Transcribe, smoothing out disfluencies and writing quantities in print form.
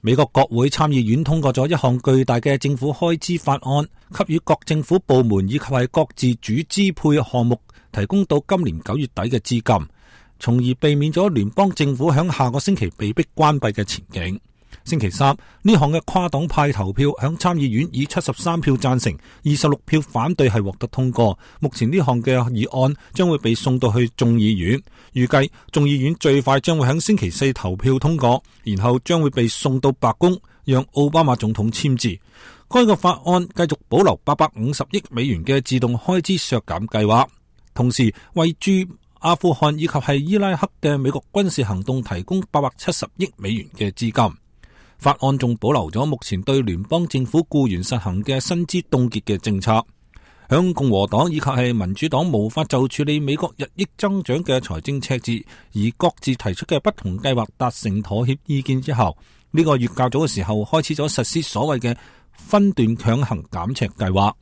美國國會參議院通過咗一項巨大嘅政府開支法案，給予各政府部門以及係各自主支配項目提供到今年9月底嘅資金，從而避免咗聯邦政府響下個星期被迫關閉嘅前景。星期三，呢項嘅跨黨派投票響參議院以73票贊成、26票反對係獲得通過。目前呢項嘅議案將會被送到去眾議院，預計眾議院最快將會響星期四投票通過，然後將會被送到白宮，讓奧巴馬總統簽字。該個法案繼續保留850億美元嘅自動開支削減計劃，同時為駐阿富汗以及係伊拉克嘅美國軍事行動提供870億美元嘅資金。法案仲保留咗目前對聯邦政府僱員實行嘅薪資凍結嘅政策。響共和黨以及係民主黨無法就處理美國日益增長嘅財政赤字而各自提出嘅不同計劃達成妥協意見之後，呢個月較早嘅時候開始咗實施所謂嘅分段強行減赤計劃。